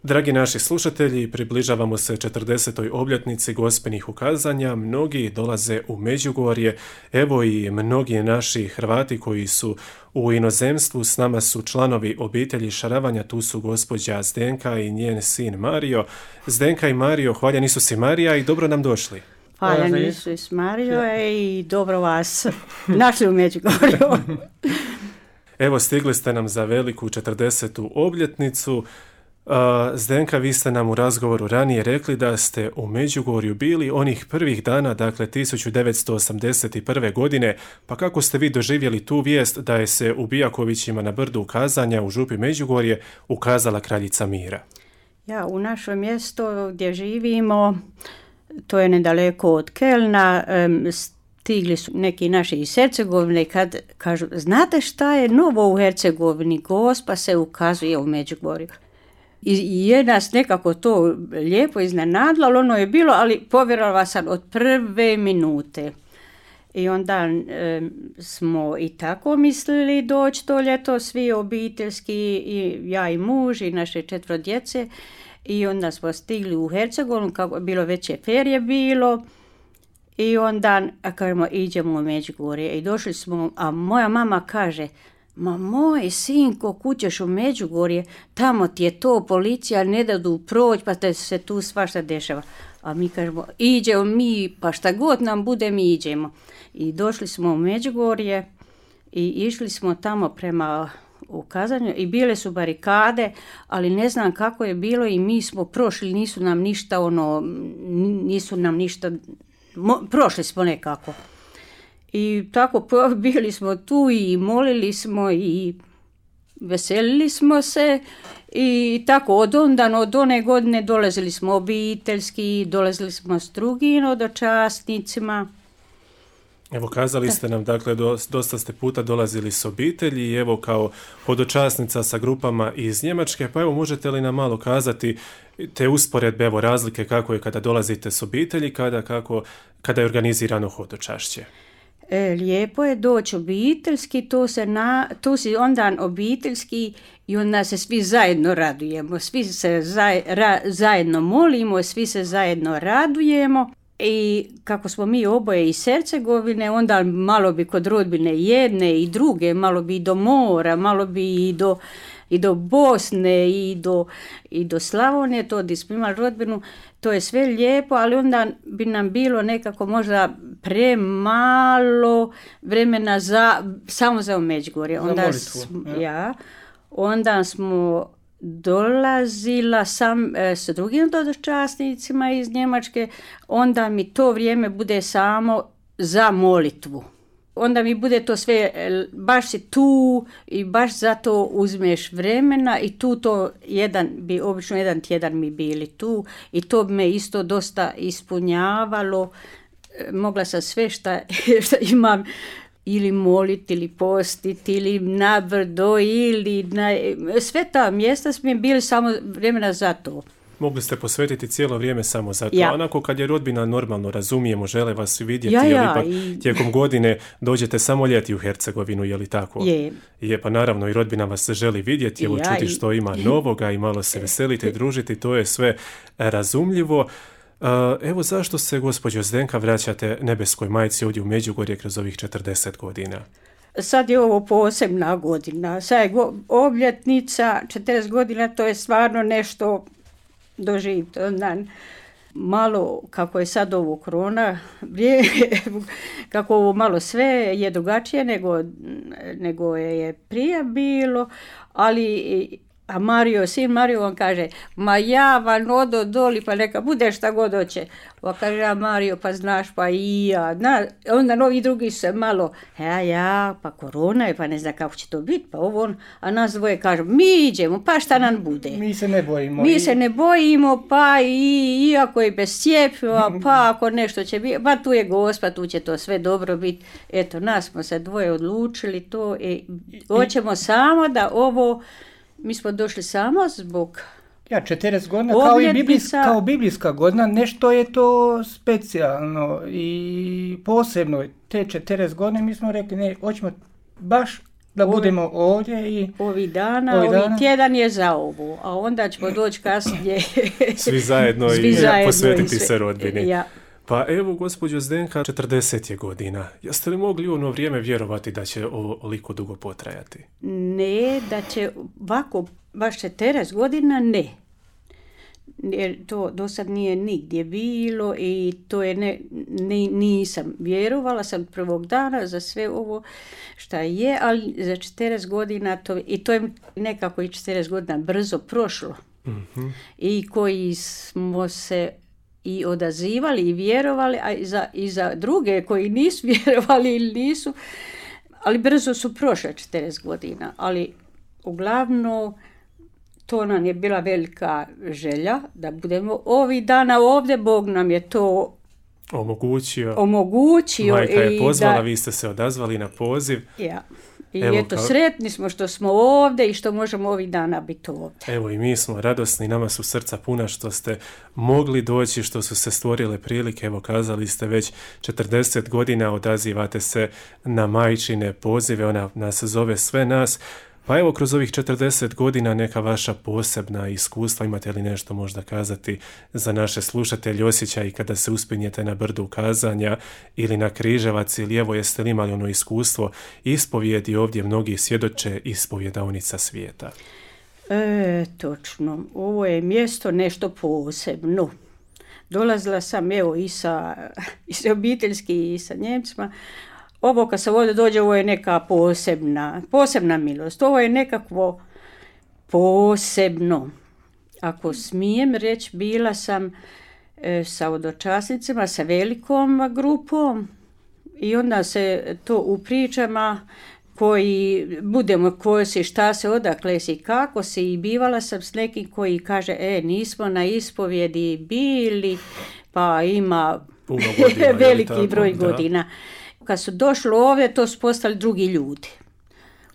Dragi naši slušatelji, približavamo se 40. obljetnici Gospelnih ukazanja. Mnogi dolaze u Međugorje, evo i mnogi naši Hrvati koji su u inozemstvu. S nama su članovi obitelji Šaravanja, tu su gospođa Zdenka i njen sin Mario. Zdenka i Mario, hvaljeni su si Marija i dobro nam došli. Hvaljeni su i Mario i dobro vas našli u Međugorju. Evo, stigli ste nam za veliku 40. obljetnicu. Zdenka, vi ste nam u razgovoru ranije rekli da ste u Međugorju bili onih prvih dana, dakle 1981. godine, pa kako ste vi doživjeli tu vijest da je se u Bijakovićima na brdu ukazanja u župi Međugorje ukazala kraljica mira? Ja, u našem mjestu gdje živimo, to je nedaleko od Kelna, stigli su neki naši iz Hercegovine kad kažu, znate šta je novo u Hercegovini, Gospa se ukazuje u Međugorju. I je nas nekako to lijepo iznenadilo, ali ono je bilo, ali povjerovala sam od prve minute. I onda smo i tako mislili doći to ljeto, svi obiteljski, i ja i muž i naše 4 djece. I onda smo stigli u Hercegovinu, kako bilo veće ferije bilo. I onda kažemo, idemo u Međugorje. I došli smo, a moja mama kaže, ma moj sinko, kućeš u Međugorje, tamo ti je to policija, ne dadu proći, pa te se tu svašta dešava. A mi kažemo, iđemo mi, pa šta god nam bude, mi iđemo. I došli smo u Međugorje i išli smo tamo prema ukazanju i bile su barikade, ali ne znam kako je bilo i mi smo prošli, nisu nam ništa, prošli smo nekako. I tako bili smo tu i molili smo i veselili smo se i tako od one godine dolazili smo obiteljski, dolazili smo s drugim hodočasnicima. Evo, kazali ste nam, dakle, dosta ste puta dolazili s obitelji i evo kao hodočasnica sa grupama iz Njemačke, pa evo možete li nam malo kazati te usporedbe, evo razlike kako je kada dolazite s obitelji, kada je organizirano hodočašće? Lijepo je doći obiteljski, tu si onda obiteljski i onda se svi zajedno radujemo, svi se zajedno molimo, svi se zajedno radujemo. I kako smo mi oboje iz Hercegovine, onda malo bi kod rodbine jedne i druge, malo bi i do mora, malo bi i do Bosne i do Slavonije, to gdje smo imali rodbinu, to je sve lijepo, ali onda bi nam bilo nekako možda premalo vremena samo za Međugorje. Onda smo dolazila sam s drugim hodočasnicima iz Njemačke, onda mi to vrijeme bude samo za molitvu. Onda mi bude to sve, baš si tu i baš zato uzmeš vremena i tu obično jedan tjedan mi bili tu i to bi me isto dosta ispunjavalo. Mogla sam sve šta imam ili moliti, ili postiti, ili na brdo, sve ta mjesta su mi bili samo vremena za to. Mogli ste posvetiti cijelo vrijeme samo za to. Onako kad je rodbina normalno, razumijemo, žele vas vidjeti, ipak tijekom godine dođete samo ljeti u Hercegovinu, je li tako? Je, pa naravno i rodbina vas želi vidjeti, evo čuti što ima novoga i malo se veselite, družiti, to je sve razumljivo. Evo zašto se, gospođo Zdenka, vraćate nebeskoj majci ovdje u Međugorje kroz ovih 40 godina? Sad je ovo posebna godina, sad je obljetnica, 40 godina, to je stvarno nešto doživjeti. Malo, kako je sad ovo korona, kako ovo malo sve je drugačije nego je prije bilo, ali a sin Mario on kaže, ma ja vam odo doli, pa neka bude šta god hoće. Pa kaže, a Mario, pa znaš, pa i ja. Onda novi drugi se malo, pa korona je, pa ne zna kako će to biti, pa ovo on. A nas dvoje kažu, mi iđemo, pa šta nam bude? Mi se ne bojimo, pa iako je bez cjepiva, pa ako nešto će biti, pa tu je Gospa, tu će to sve dobro biti. Eto, nas smo se dvoje odlučili to i hoćemo samo da ovo. Mi smo došli samo zbog 40 godina kao biblijska godina, nešto je to specijalno i posebno. Te 40 godine mi smo rekli, ne, hoćemo baš da budemo ovdje i... Ovi tjedan je za ovu, a onda ćemo doći kasnije. Svi zajedno i posvetiti se rodbini. Ja. Pa evo, gospođo Zdenka, 40 je godina. Jeste li mogli u ono vrijeme vjerovati da će ovoliko dugo potrajati? Ne, da će ovako baš 40 godina, ne. Jer to do sad nije nigdje bilo i to je nisam vjerovala sam prvog dana za sve ovo šta je, ali za 40 godina i to je nekako i 40 godina brzo prošlo. Mm-hmm. I koji smo se i odazivali i vjerovali, a i za druge koji nisu vjerovali ili nisu, ali brzo su prošle 40 godina, ali uglavnom to nam je bila velika želja da budemo ovih dana ovdje, Bog nam je to omogućio. Majka je pozvala, vi ste se odazvali na poziv. Ja. I eto, sretni smo što smo ovdje i što možemo ovih dana biti ovdje. Evo i mi smo radosni, nama su srca puna što ste mogli doći, što su se stvorile prilike. Evo, kazali ste već 40 godina odazivate se na majčine pozive, ona nas zove sve nas. Pa evo, kroz ovih 40 godina neka vaša posebna iskustva, imate li nešto možda kazati za naše slušatelje, osjećaj kada se uspinjete na brdu kazanja ili na Križevac, ili evo jeste li imali ono iskustvo ispovjedi, ovdje mnogi svjedoče ispovjedaonica svijeta? Točno, ovo je mjesto nešto posebno. Dolazila sam evo i sa obiteljski i sa Njemcima. Ovo kad se ovdje dođe, ovo je neka posebna milost. Ovo je nekakvo posebno. Ako smijem reći, bila sam sa odočasnicima, sa velikom grupom i onda se to u pričama koji budemo ko si, šta se, odakle si, kako si, i bivala sam s nekim koji kaže, nismo na ispovjedi bili, pa ima veliki broj godina. Kad su došli ovdje, to su postali drugi ljudi.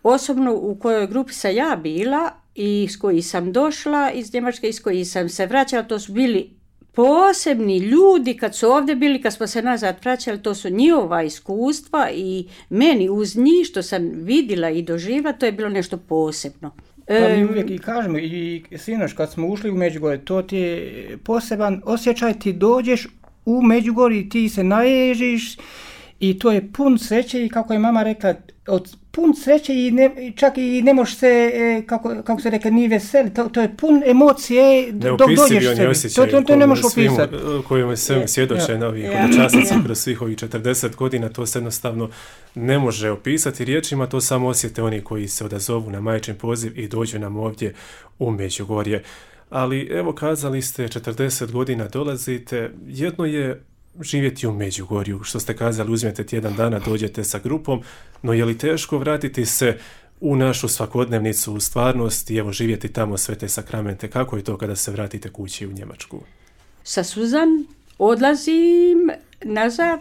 Osobno u kojoj grupi sam ja bila i s koji sam došla iz Njemačke i s koji sam se vraćala, to su bili posebni ljudi kad su ovdje bili, kad smo se nazad vraćali, to su njihova iskustva i meni uz njih što sam vidjela i doživjela, to je bilo nešto posebno. Pa mi uvijek i kažemo, i sinoć kad smo ušli u Međugorje, to ti je poseban osjećaj, ti dođeš u Međugorje, ti se naježiš, i to je pun sreće i kako je mama rekla, pun sreće i čak i ne možeš se, kako se rekla, ni veseli, to je pun emocije dok dođeš sebi. To ne možeš opisati. Kojima se svjedoče novi hodočasnici kroz svih ovih 40 godina, to se jednostavno ne može opisati riječima, to samo osjete oni koji se odazovu na majčin poziv i dođu nam ovdje u Međugorje. Ali evo, kazali ste 40 godina dolazite, jedno je živjeti u Međugorju, što ste kazali, uzmete tjedan dana, dođete sa grupom, no je li teško vratiti se u našu svakodnevnicu, u stvarnost i evo živjeti tamo sve te sakramente? Kako je to kada se vratite kući u Njemačku? Sa Suzan odlazim nazad,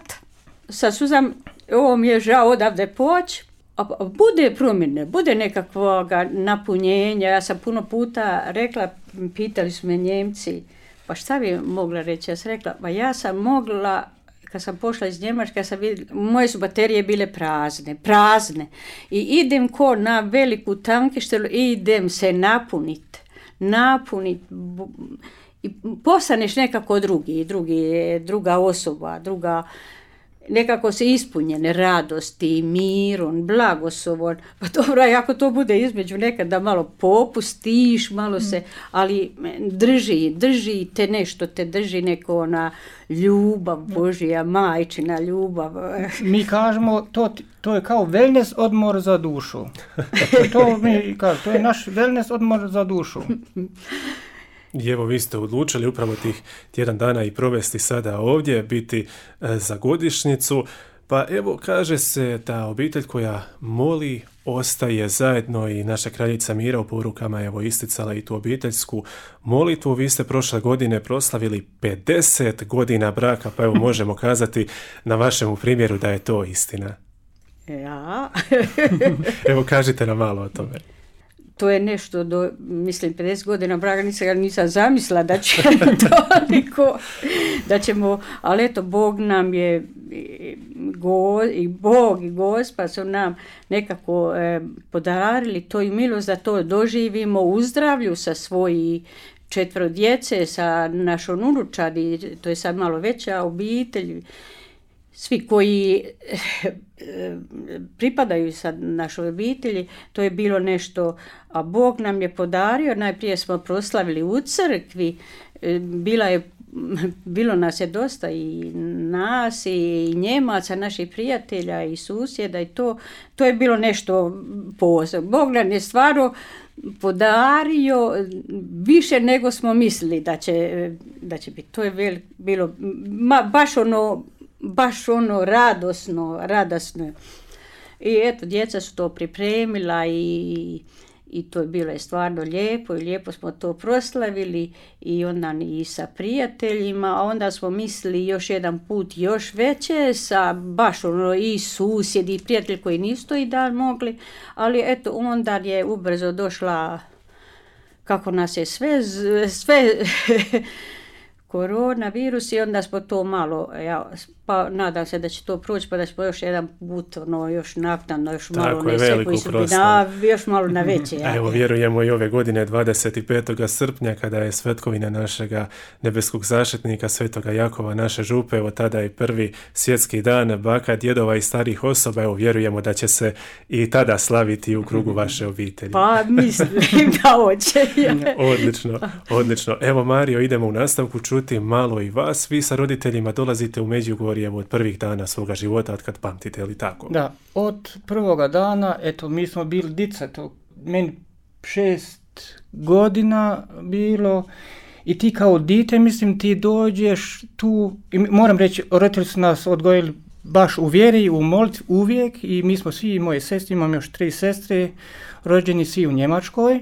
sa Suzan, ovo mi je žao odavde poći, a bude promjene, bude nekakvog napunjenja. Ja sam puno puta rekla, pitali su me Njemci, pa šta bi mogla reći? Ja sam rekla, pa ja sam mogla, kad sam pošla iz Njemačke, moje su baterije bile prazne. I idem ko na veliku tankištelu i idem se napuniti. I postaneš nekako druga osoba, nekako se ispunjene radosti, miron, blagoslovon. Pa dobro, ako to bude između nekad da malo popustiš, malo se, ali drži te nešto, te drži neko ona ljubav Božja, majčina ljubav. Mi kažemo, to je kao wellness odmor za dušu. To je naš wellness odmor za dušu. I evo, vi ste odlučili upravo tih tjedan dana i provesti sada ovdje, biti za godišnjicu. Pa evo, kaže se da obitelj koja moli ostaje zajedno i naša kraljica Mira u porukama evo isticala i tu obiteljsku molitvu. Vi ste prošle godine proslavili 50 godina braka, pa evo možemo kazati na vašemu primjeru da je to istina. Ja. Evo, kažite nam malo o tome. To je nešto, 50 godina braka nisam zamislila da će toliko, da ćemo, ali eto, Bog nam je i Bog i Gospa su nam nekako podarili to i milost da to doživimo u zdravlju sa svoji 4 djece, sa našom unučadi, to je sad malo veća obitelj, svi koji pripadaju sad našoj obitelji, to je bilo nešto, a Bog nam je podario, najprije smo proslavili u crkvi, bilo nas je dosta i nas i Njemaca, naših prijatelja i susjeda i to je bilo nešto posebno. Bog nam je stvarno podario više nego smo mislili da će biti. To je bilo baš ono radosno. I eto, djeca su to pripremila i to je bilo stvarno lijepo i lijepo smo to proslavili i onda i sa prijateljima, a onda smo mislili još jedan put još veće sa baš i susjedi i prijatelji koji nisu to i dan mogli, ali eto onda je ubrzo došla, kako nas je sve koronavirus i onda smo to malo, pa nadam se da će to proći, pa da ćemo još jedan put, još naknadno, još malo još malo na veće. Evo, vjerujemo i ove godine 25. srpnja kada je svetkovina našega nebeskog zaštitnika svetoga Jakova, naše župe, evo tada je prvi svjetski dan baka, djedova i starih osoba, evo vjerujemo da će se i tada slaviti u krugu vaše obitelji. Pa mislim da hoće. Odlično. Evo Mario, idemo u nastavku čuti malo i vas. Vi sa roditeljima dolazite u Međugorje od prvih dana svoga života, od kad pamtite, ili tako? Da, od prvoga dana, eto, mi smo bili dica, to meni 6 godina bilo i ti kao dite, mislim, ti dođeš tu, i moram reći, roditelji su nas odgojili baš u vjeri, u molitvi uvijek i mi smo svi, moje sestre, imam još 3 sestre, rođeni svi u Njemačkoj.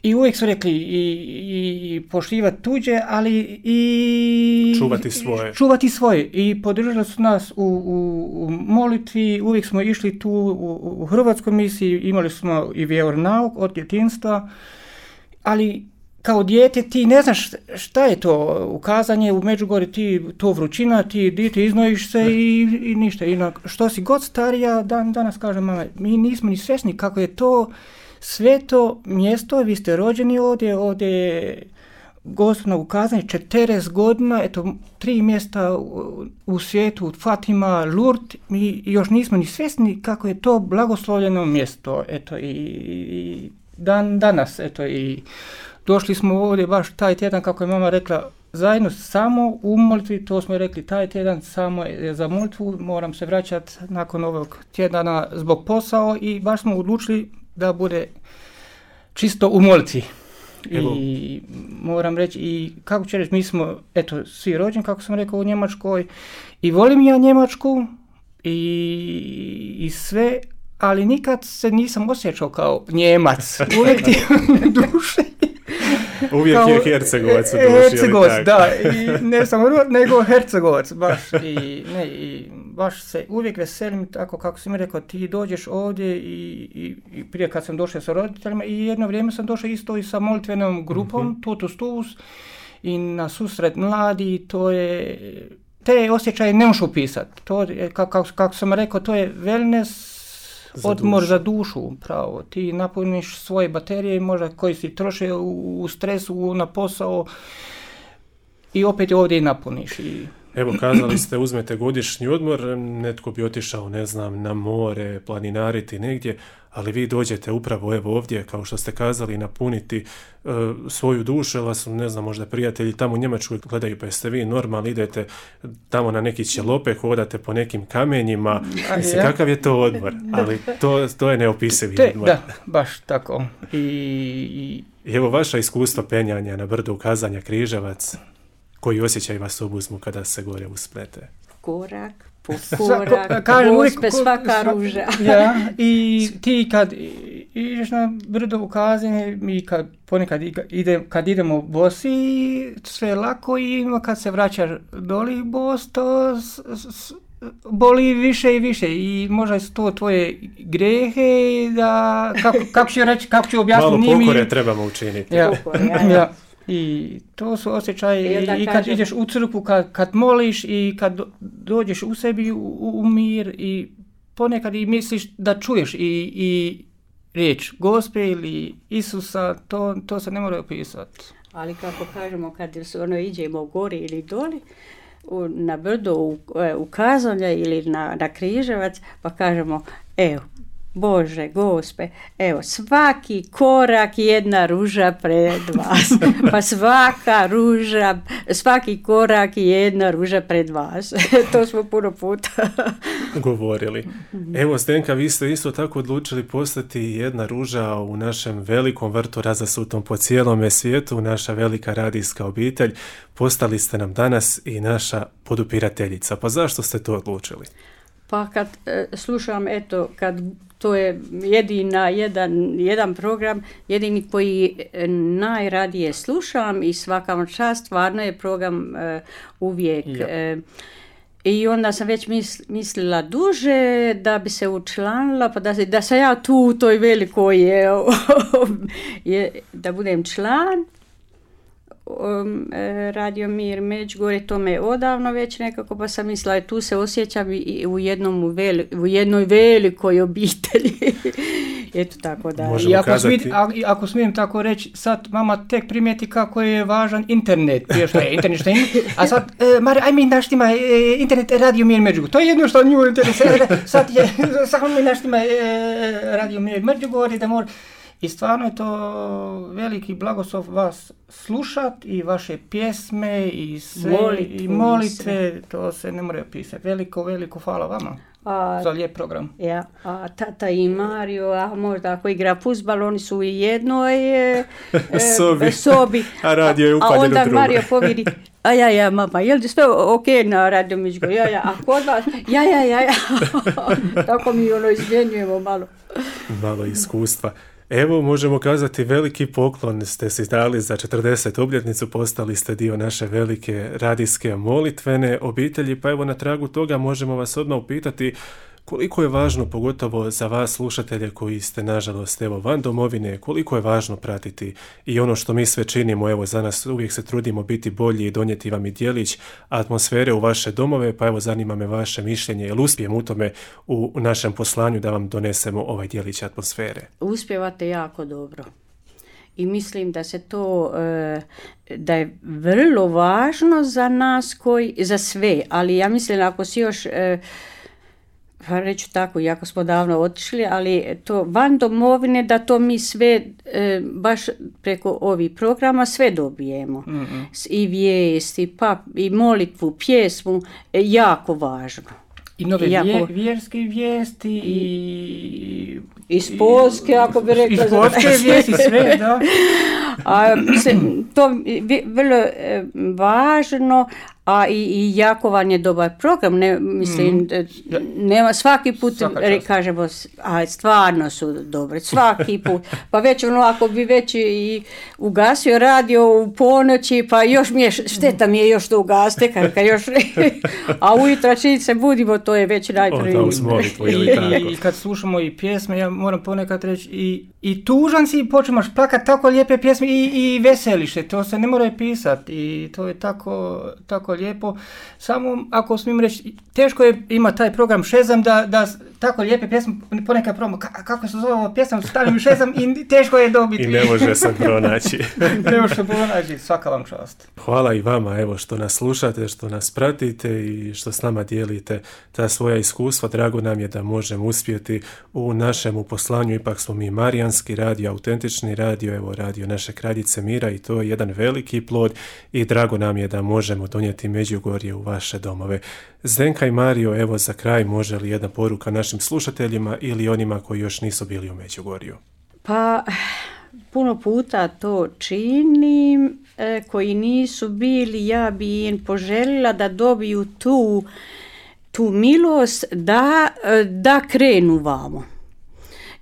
I uvijek su rekli i poštivati tuđe, ali i čuvati svoje. I podržali su nas u molitvi, uvijek smo išli tu u hrvatskoj misiji, imali smo i vjeronauk od djetinjstva, ali kao dijete ti ne znaš šta je to ukazanje u Međugorju, ti to vrućina, ti dijete iznojiš se i ništa. I što si god starija, danas kažem, mama, mi nismo ni svjesni kako je to sveto mjesto, vi ste rođeni ovdje je Gospodno ukazanje 40 godina, eto 3 mjesta u svijetu, Fatima, Lourdes, mi još nismo ni svjesni kako je to blagoslovljeno mjesto, eto i danas, eto i došli smo ovdje baš taj tjedan, kako je mama rekla, zajedno samo u molitvi, to smo rekli, taj tjedan samo je za molitvu, moram se vraćati nakon ovog tjedana zbog posao i baš smo odlučili da bude čisto u molitvi. I moram reći, i kako će reći, mi smo, eto, svi rođeni, kako sam rekao, u Njemačkoj i volim ja Njemačku i sve, ali nikad se nisam osjećao kao Njemac. Uvijek ti duše. Uvijek kao, je Hercegovac u duši. Hercegovac, da, i ne samo nego Hercegovac, baš, i baš se uvijek veselim, tako kako si mi rekao, ti dođeš ovdje i prije kad sam došao sa roditeljima i jedno vrijeme sam došao isto i sa molitvenom grupom, Totus Tuus, i na susret mladi, to je, te osjećaje ne možeš upisati, to je, kako sam rekao, to je wellness, odmor za dušu, pravo. Ti napuniš svoje baterije, možda koji si troše u stresu, na posao i opet ovdje i napuniš. Evo, kazali ste, uzmete godišnji odmor, netko bi otišao, ne znam, na more, planinariti negdje, ali vi dođete upravo evo ovdje, kao što ste kazali, napuniti svoju dušu, jer vas, ne znam, možda prijatelji tamo u Njemačkoj gledaju, pa jeste vi normalni, idete tamo na neki ćelope, hodate po nekim kamenjima, mislim, kakav je to odmor, ali to je neopisivi odmor. Da, baš tako. I evo vaša iskustva penjanja na brdu ukazanja Križevac, koji osjećaj vas obuzmu kada se gore usplete? Korak po korak, Gospe, svaka ruža. Ja, i ti kad ideš na brdo ukazanje, mi ponekad kad idemo bosi, sve lako i kad se vraćaš doli bos, to boli više i više i možda su to tvoje grehe, da, kako ću reći, kako ću objasniti. Malo pokore trebamo učiniti. Ja. I to su osjećaje i kad ideš u crkvu, kad moliš i kad dođeš u sebi u mir i ponekad i misliš da čuješ i riječ Gospe ili Isusa, to se ne mora opisati. Ali kako kažemo, kad iđemo gori ili doli, na brdo u Kazalje ili na Križevac, pa kažemo, evo, Bože, Gospe, evo, svaki korak jedna ruža pred vas, pa svaki korak jedna ruža pred vas. To smo puno puta govorili. Evo, Zdenka, vi ste isto tako odlučili postati jedna ruža u našem velikom vrtu razasutom po cijelome svijetu, naša velika radijska obitelj. Postali ste nam danas i naša podupirateljica. Pa zašto ste to odlučili? Pa kad slušam, kad to je jedan program, jedini koji najradije slušam i svaka vam čast, stvarno je program uvijek. Ja. I onda sam već mislila duže da bi se učlanila, pa da sam ja tu u toj velikoj da budem član. Radio Mir Međugorje, to me odavno već nekako, pa sam mislila tu se osjećam i u jednoj velikoj obitelji. Eto tako da. I ako smijem tako reći, sad mama tek primijeti kako je važan internet. Što je internet, a sad, aj mi naštima internet Radio Mir Međugorje. To je jedno što nju interesira. Sad mi naštima Radio Mir Međugorje da mora. I stvarno je to veliki blagoslov vas slušat i vaše pjesme i sve i molitve, to se ne more opisati. Veliko hvala vama za lijep program. Ja, a tata i Mario, a možda ako igra fuzbal, oni su u jednoj sobi. A radio je upaljen u drugo. A onda Mario povidi, ja, mama, je li sve ok na Radio Međugorje? Ja, a kod vas? Ja. Tako mi izmjenjujemo malo. Malo iskustva. Evo, možemo kazati, veliki poklon ste si dali za 40. obljetnicu, postali ste dio naše velike radijske molitvene obitelji, pa evo na tragu toga možemo vas odmah upitati koliko je važno, pogotovo za vas slušatelje koji ste nažalost van domovine, koliko je važno pratiti i ono što mi sve činimo, evo za nas uvijek se trudimo biti bolji i donijeti vam i djelić atmosfere u vaše domove, pa evo zanima me vaše mišljenje, jel uspijemo u tome u našem poslanju da vam donesemo ovaj djelić atmosfere? Uspijevate jako dobro. I mislim da se to, da je vrlo važno za nas za sve, ali ja mislim ako si još pa reću tako, iako smo davno otišli, ali to van domovine, da to mi sve, baš preko ovih programa sve dobijemo. Mm-hmm. I vijesti, i molitvu, pjesmu, jako važno. I nove vjerske vijesti i spolske, ako bi rekla. I spolske vijesti, sve, da. A to je vrlo važno, a i jako vam je dobar program, nema svaki put, kažemo, a stvarno su dobre, svaki put, pa već ako bi već i ugasio radio u ponoći, pa još mi je, šteta mi je još to ugaste, a ujutro čini se budimo, to je već najprije. I kad slušamo i pjesme, ja moram ponekad reći, i tužan si i počneš plakati tako lijepe pjesme i veseliš se, to se ne mora pisati i to je tako lijepo. Samo ako smijem reći, teško je ima taj program Šezam da tako lijepe pjesme ponekad probamo, kako se zove ova pjesma, stavim Šezam i teško je dobiti. I ne može se pronaći. Ne može se pronaći, svaka vam čast. Hvala i vama, evo, što nas slušate, što nas pratite i što s nama dijelite ta svoja iskustva. Drago nam je da možemo uspjeti u našem poslanju, ipak smo mi marijanski radio, autentični radio, evo radio naše Kraljice Mira i to je jedan veliki plod i drago nam je da možemo donijeti Međugorje u vaše domove. Zdenka i Mario, evo za kraj, može li jedna poruka našim slušateljima ili onima koji još nisu bili u Međugorju? Pa, puno puta to činim, koji nisu bili, ja bi im poželjela da dobiju tu milost da krenu vamo.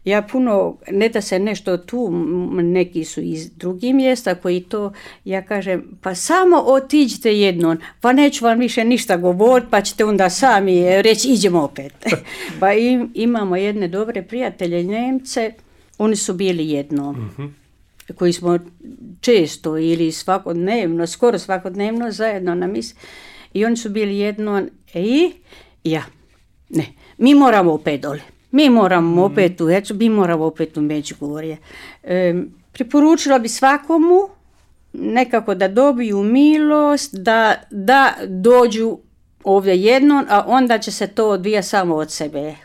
Ja puno, ne da se nešto tu, neki su iz drugih mjesta koji to, ja kažem, pa samo otiđite jednom, pa neću vam više ništa govoriti, pa ćete onda sami reći, idemo opet. Pa imamo jedne dobre prijatelje Njemce, oni su bili jednom. Mm-hmm. koji smo često ili svakodnevno, skoro svakodnevno zajedno na misi. I oni su bili jedno, mi moramo opet dole. Mi moramo opet u Hercegovinu, mi moramo opet u Međugorje. Preporučila bi svakomu nekako da dobiju milost, da dođu ovdje jednom, a onda će se to odvijati samo od sebe.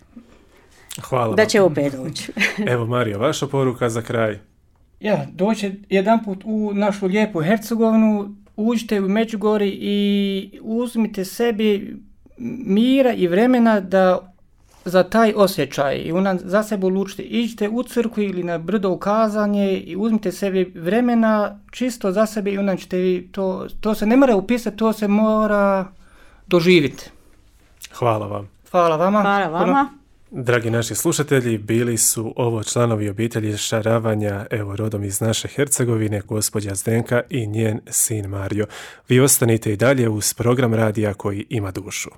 Hvala. Da će opet doći. Evo, Marijo, vaša poruka za kraj. Doći jedanput u našu lijepu Hercegovinu, uđite u Međugorje i uzmite sebi mira i vremena da za taj osjećaj i za sebe odlučite. Iđite u crkvu ili na brdo u kazanje i uzmite sebi vremena čisto za sebe i onda ćete vi to se ne mora upisati, to se mora doživjeti. Hvala vam. Hvala vama. Hvala vama. Dragi naši slušatelji, bili su ovo članovi obitelji Šaravanja, evo rodom iz naše Hercegovine, gospođa Zdenka i njen sin Mario. Vi ostanite i dalje uz program radija koji ima dušu.